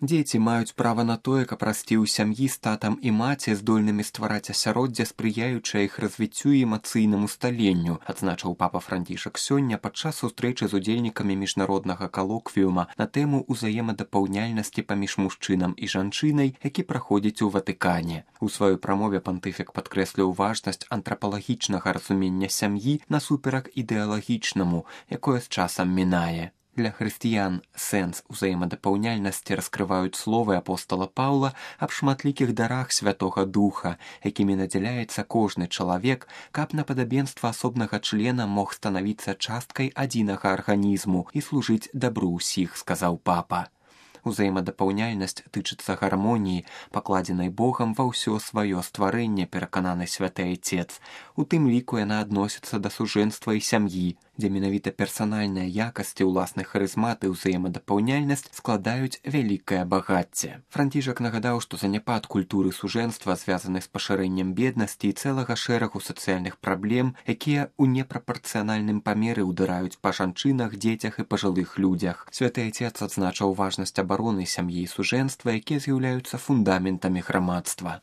Дзеці маюць права на тое, каб расці ў сям'і з татам і маці, здольнымі ствараць асяроддзе, спрыяючае іх развіццю і эмацыйнаму сталенню, адзначыў папа Францішак сёння падчас сустрэчы з удзельнікамі міжнароднага калоквіума на тэму ўзаемадапаўняльнасці паміж мужчынам і жанчынай, які праходзіць у Ватыкане. У сваёй прамове пантыфік падкрэсліў важнасць антрапалагічнага разумення сям'і насуперак ідэалагічнаму, якое з часам мінае. Для хрысціян сэнс узаемадапаўняльнасці раскрываюць словы апостала Паўла аб шматлікіх дарах Святога Духа, якімі надзяляецца кожны чалавек, каб на падабенства асобнага члена мог станавіцца часткай адзінага арганізму і служыць дабру ўсіх, сказаў папа. Узаемадапаўняльнасць тычыцца гармоніі, пакладзенай Богам ва ўсё сваё стварэнне, перакананы святы айцец. У тым ліку яна адносіцца да сужэнства і сям'і, дзе менавіта персанальныя якасці, уласны харызмат і ўзаемадапаўняльнасць складаюць вялікае багацце. Францішак нагадаў, што заняпад культуры сужэнства звязаны з пашырэннем беднасці і цэлага шэрагу сацыяльных праблем, якія ў непрапарцыянальным памеры ўдараюць па жанчынах, дзецях і пажылых людзях. Святы айцец адзначыў важнасць абароны сям'і і сужэнства, якія з'яўляюцца фундаментамі грамадства.